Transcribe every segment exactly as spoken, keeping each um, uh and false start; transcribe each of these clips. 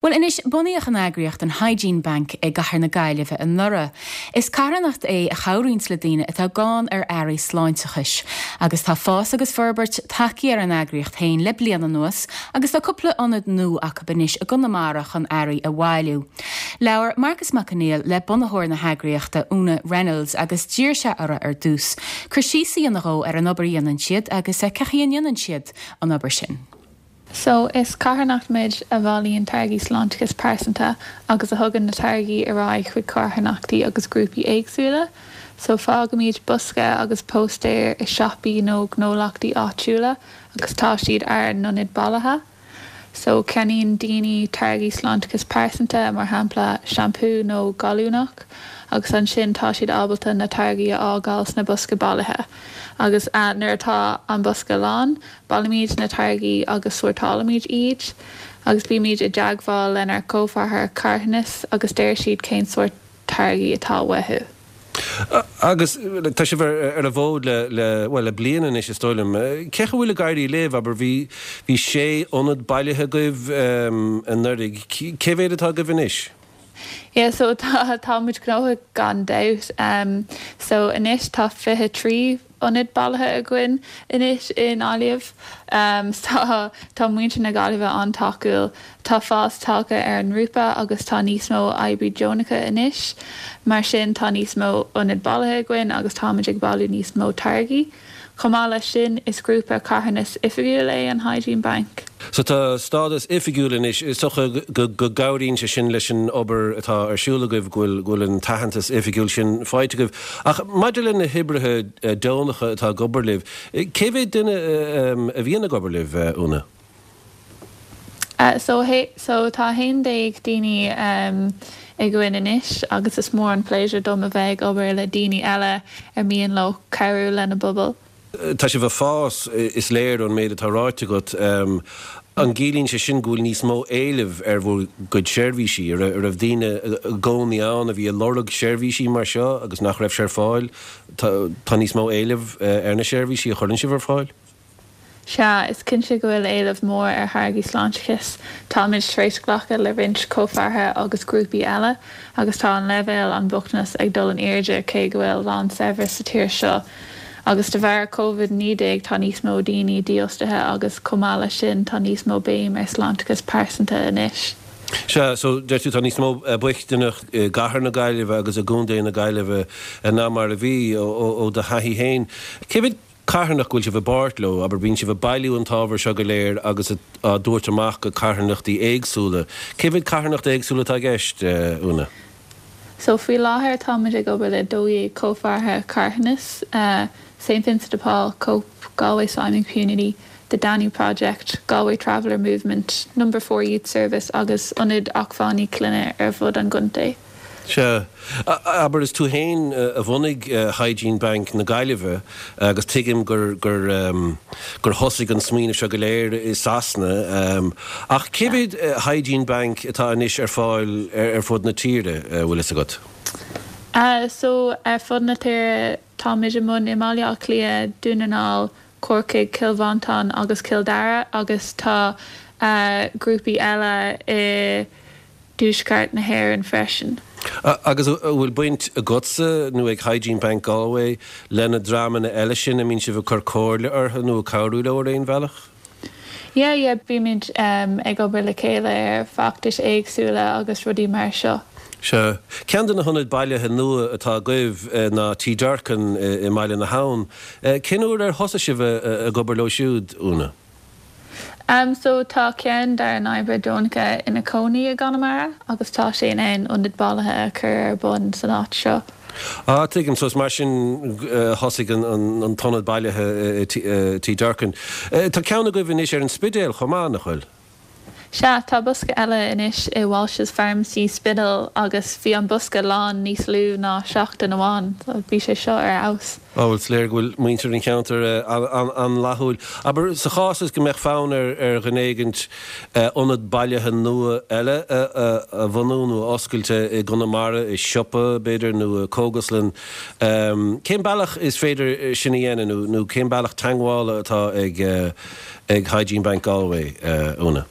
Well anois bunaíodh an eagraíocht an Hygiene Bank i gcathair na Gaillimhe anuraidh. Is carthanacht é a chabhraíonn le daoine atá gann ar earraí sláinteachais, agus tá fás agus forbairt tagtha ar an eagraíocht féin le bliain anuas agus tá cúpla ionad nua acu anois i gConamara chun earraí a bhailiú. Labhair Marcus Mac Conghail le bunaitheoir na heagraíochta Úna Reynolds agus d'iarr sé uirthi ar dtús. Cur síos a dhéanamh ar an obair a dhéanann siad agus cén chaoi a ndéanann siad an obair sin. So is carthanacht muid a bhailíonn táirgí sláinteachais pearsanta agus a thugann na táirgí ar aghaidh chuig carthanachtaí agus grúpaí éagsúla. So fágaimid bosca agus póstaer i siopaí nó gnólachtaí áitiúla agus tá siad ár n-ionad bailithe. So ceannaíonn daoine táirgí sláinteachais pearsanta mar shampla seampú nó gallúnach, agus ansin tá siad ábalta na táirgí a fhágáil sna bosca bailithe. Agus uh, nuair atá an bosca lán, bailímid na táirgí agus sórtálaimid iad, agus bímid i dteagmháil lenár gcomhpháirtithe carthanais agus deir siad cén sórt táirgí atá uathu. Agus tá sibh ar an bhfód le le well le bliain anois is dóigh liom. Cén chaoi a bhfuil ag éirí libh abair bhí bhí sé ionad bailithe agaibh anuraidh cé mhéad atá agaibh anois? Yeah, so tá tá muid gnóthach gan dabht. Um, so anois tá fiche trí ionad bailithe againn anois i nGaillimh. Um, tá tá muintir na Gaillimhe an-tacúil, Tá fás tagtha ar an ngrúpa agus tá níos mó oibrithe deonacha anois, mar sin tá níos mó ionad bailithe againn agus táimid ag bailiú níos mó táirgí. Chomh maith leis sin is grúpa carthanais oifigiúil é an Hygiene Bank. So tá stádas oifigiúil anois is dócha go gcabhraíonn sé sin leis an obair atá ar siúl agaibh go bhfuil an t-aitheantas oifigiúil sin faighte agaibh. Ach maidir le na hoibrithe deonacha atá ag obair libh, cé mhéad duine a bhíonn ag obair libh Úna? Uh, so, hey, so tá haon déag daoine um, againn anois agus is mór an pléisiúr dom a bheith ag obair le daoine eile ar mian leo cabhrú lena bpobal. Tá sibh ag fás is léir ón méid atá ráite agat an gciallaíonn sé sin go bhfuil níos mó éilimh ar bhur gcuid seirbhísí ar raibh daoine i gcónaí ann a bhí ag lorg seirbhísí mar seo agus nach raibh sé ar fáil tá níos mó éilimh ar na seirbhísí a chuireann sibh ar fáil? Sea, is cinnte go bhfuil éileamh mór ar tháirgí sláinteachais. Táimid tar éis glacadh le roinnt comhpháirtithe agus grúpaí eile, agus tá an leibhéal an bochtanas ag dul in airde cé go bhfuil lánsaibhreas sa tír seo. Agus de bharr COVID naoi déag tá níos mó daoine dífhostaithe agus chomh maith leis sin tá níos mó béim ar sláinteachas pearsanta anois. Sea, so deir tú tá níos mó bochtaineacht i gcathair na Gaillimhe agus i gcontae na Gaillimhe ná mar a bhí ó do thaithí féin. Cé mhéad carthanacht go bhfuil sibh i bpáirt leo, abair bíonn sibh ag bailiú an t-ábhar seo go léir agus á thabhairt amach go carthanachtaí éagsúla. Cé mhéad carthanacht éagsúla atá i gceist, Úna? So faoi láthair táimid ag obair le dó dhéag comhpháirtithe carthanais, uh, St Vincent de Paul, Cope, Galway Simon Community, the Danú Project, Galway Traveller Movement, Number Four Youth Service agus ionad acmhainní clainne ar fud an chontae. Sea, abair is tú féin a bhunaigh Hygiene Bank na Gaillimhe agus tuigim gur gur gur thosaigh an smaoineamh seo go léir i Sasana ach cé mhéad Hygiene Bank atá anois ar fáil ar fud na tíre bhfuil fhios agat? Uh, so ar fud na tíre táimid i mbun i mBaile Átha Cliath, Dún na nGall, Corcaigh, Cill Mhantáin agus Cill Dara agus tá uh, grúpaí eile i dtuaisceart na hÉireann freisin. Agus bhfuil baint agatsa nó ag Hygiene Bank Galway le na dreamanna eile sin a mbíonn sibh ag cur comhairle orthu nó cabhrú leo ar aon bhealach? Yeah, yeah, bímid um, ag obair le chéile ar feachtais éagsúla agus rudaí mar seo. Sea, ceann de na hionaid bailithe nua atá agaibh ná Tí Durkin i mBaile na hAbhann. Cén uair ar thosaigh sibh ag obair leo siúd Úna? Um, so tá ceann dár n-oibrithe deonacha ina cónaí i gConamara agus tá sé in ann ionad bailithe a chur ar bun san áit seo. Ah tuigim so mar sin thosaigh an t-ionad bailithe Tí Durkin. Tá ceann agaibh anois ar an Spidéal chomh maith nach bhfuil? Sea, tá bosca eile anois i Walsh's Pharmacy Spiddal agus bhí an bosca lán níos lú ná seachtain amháin, so bhí sé seo ar fheabhas. Á bhuel is léir go bhfuil muintir an cheantair an-fhlaithiúil. Abair sa chás is go mbeadh fonn ar ar dhuine éigint ionad bailithe nua eile a bhunú nó a oscailt i gConamara i siopa b'fhéidir nó i cógaslann, cén bealach is féidir sin a dhéanamh nó cén bealach teagmhála atá ag ag Hygiene Bank Galway, Úna?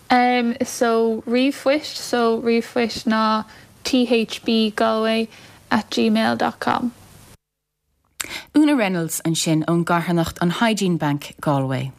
Um, so ríomhphoist so ríomhphoist ná thbgalway at gmail dot com. Una Reynolds ansin ón gcarthanacht an Hygiene Bank Galway.